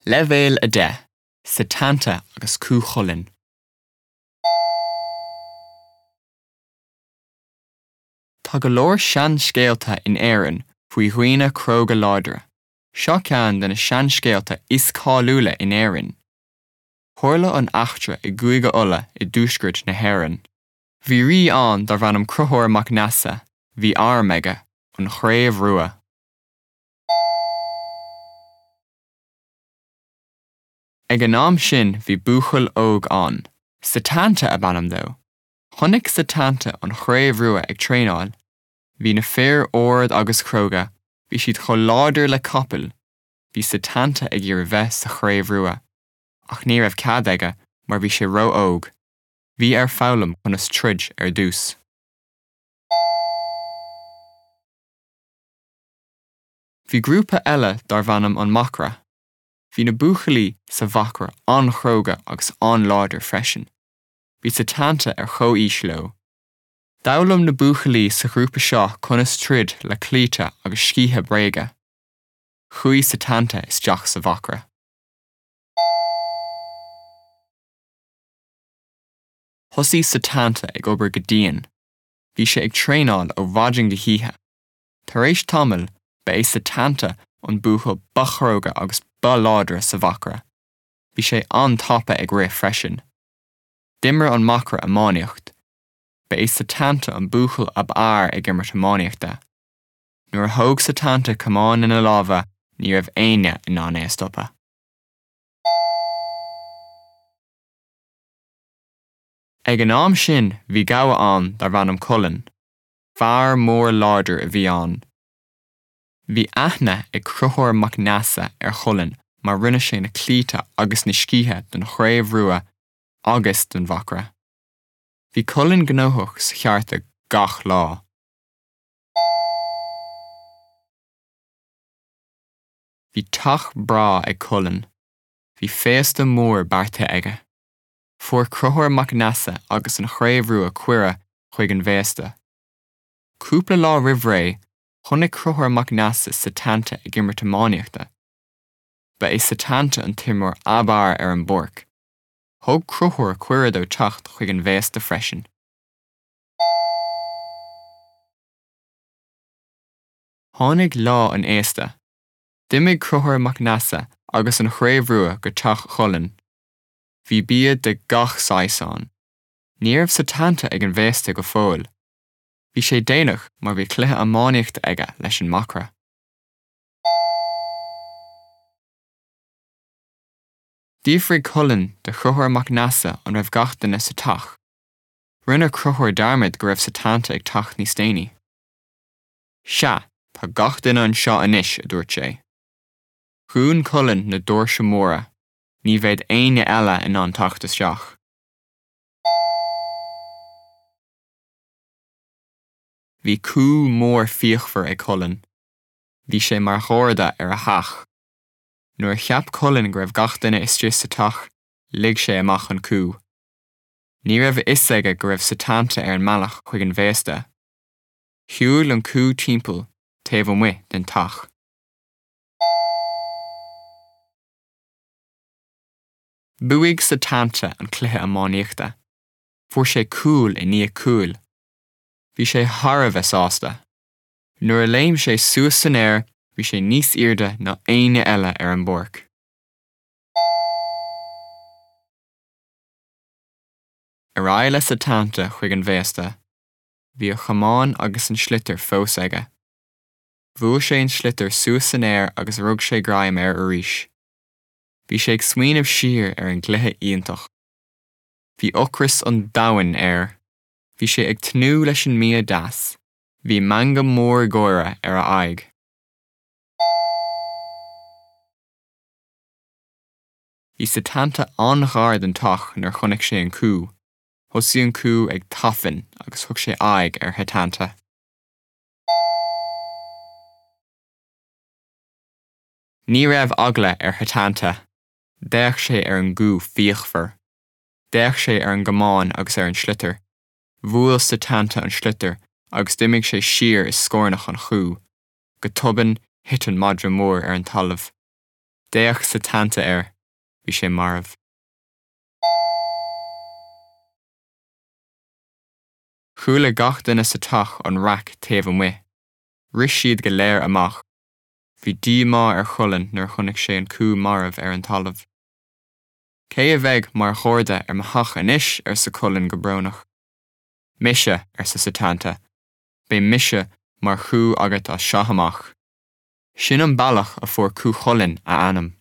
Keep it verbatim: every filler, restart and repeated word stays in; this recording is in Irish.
Leibhéal a deich, Setanta agus Cú Chulainn. Tá go leor seanscéalta in Éirinn faoi dhaoine cróga láidre. Seo ceann de na seanscéalta is cáiliúla in Éirinn. Tharla an eachtra i gCúige Uladh i dtuaisceart na hÉireann. Bhí rí ann darbh ainm Conchúr Mac Neasa, bhí arm aige, an Chraobh Rua. Ag an am sin bhí buachaill óg ann, Setanta ab ainm dó. Chonaic Setanta an Chraobh Rua ag traenáil. Bhí na fir ard agus cróga, bhí siad chomh láidir le capaill. Bhí Setanta ag iarraidh bheith sa Chraobh Rua, ach ní raibh cead aige mar bhí sé ró-óg. Bhí air foghlaim conas troid ar dtús. Bhí grúpa eile darbh ainm an Macra. Bhí na buachaillí sa Mhacra an-chróga agus an-láidir freisin. Bhí Setanta ar chomhaois leo. D'fhoghlaim na buachaillí sa ghrúpa seo conas troid le claíomh agus sciatha bréige. Chuaigh Setanta isteach sa Mhacra. Thosaigh Setanta ag obair go dian. Bhí sé ag traenáil ó mhaidin go hoíche. Tar éis tamaill, ba é Setanta an buachaill ba chróga agus ba láidre sa Mhacra. Bhí sé an-tapa ag rith freisin. D'imir an Macra iománaíocht. Ba é Setanta an buachaill ab fhearr ag imirt iománaíochta. Nuair a thóg Setanta camán ina lámha, ní raibh éinne in ann é a stopadh. Ag an am sin bhí gabha ann darbh ainm Culann. Fear mór láidir a bhí ann. Bhí aithne ag Conchúr Mac Neasa ar Chulann mar rinne sé na claímh agus na sciatha don Chraobh Rua agus don Mhacra. Bhí Culann gnóthach sa cheárta gach lá. Bhí teach breá ag Culann. Bhí féasta mór beartaithe aige. Fuair Conchúr Mac Neasa agus an Chraobh Rua cuireadh chuig an bhféasta. Cúpla lá roimh ré, chonaic Conchúr Mac Neasa Setanta ag imirt iománaíochta. Ba é Setanta an t-imreoir ab fhearr ar an bpáirc. Thug Conchúr cuireadh dó teacht chuig an bhféasta freisin. Tháinig lá an fhéasta. D'imigh Conchúr Mac Neasa agus an Chraobh Rua go teach Chulainn. Bhí bia de gach saghas ann. Ní raibh Setanta ag an bhféasta go fóill. Bhí sé déanach mar bhí cluiche iománaíochta aige leis an Macra. D'fhiafraigh Culann de Chonchúr Mac Neasa an raibh gach duine sa teach. Rinne Conchúr dearmad go raibh Setanta ag teacht níos déanaí. Sea, tá gach duine anseo anois, a dúirt sé. Dhún Culann na doirse móra, ní bheadh éinne eile in ann teacht isteach. Bhí cú mór fíochmhar ag Culann. Bhí sé mar gharda ar a theach. Nuair a cheap Culann go raibh gach duine istigh sa teach, lig sé amach an cú. Ní raibh a fhios aige go raibh Setanta ar an mbealach chuig an bhféasta. Shiúil an cú timpeall taobh amuigh den teach. Bhuaigh Setanta an cluiche iománaíochta. Fuair sé cúl i ndiaidh cúil. Bhí sé thar a bheith sásta. Nuair a léim sé suas san aer, bhí sé níos airde ná éinne eile ar an bpáirc. Ar aghaidh le Setanta chuig an bhféasta. Bhí a chamán agus an sliotar fós aige. Bhuail sé an sliotar suas san aer agus rug sé greim air arís. Bhí sé ag smaoineamh siar ar an gcluiche iontach. Bhí ocras an domhain air. Bhí sé ag tnúth leis an mbia deas. Bhí meangadh mór gáire ar a aghaidh. Bhí Setanta an-ghar don teach nuair a chonaic sé an cú. Thosaigh an cú ag tafann agus thug sé aghaidh ar Shetanta. Ní raibh eagla ar Shetanta. D'fhéach sé ar an gcú fíochmhar. D'fhéach sé ar an gcamán agus ar an sliotar. Bhuail Setanta an sliotar agus d'imigh sé siar i scornach an chú. Go tobann thit an madra mór ar an talamh. D'fhéach Setanta air, bhí sé marbh. Chuala gach duine sa teach an raic taobh amuigh. Rith siad go léir amach. Bhí díomá ar Chulainn nuair chonaic sé an cú marbh ar an talamh. Cé a bheidh mar gharda ar mo theach anois arsa Culainn go brónach. Mise arsa Setanta, Beidh mise mar chú agat as seo amach. Sin an bealach a fuair Cú Chulainn a ainm.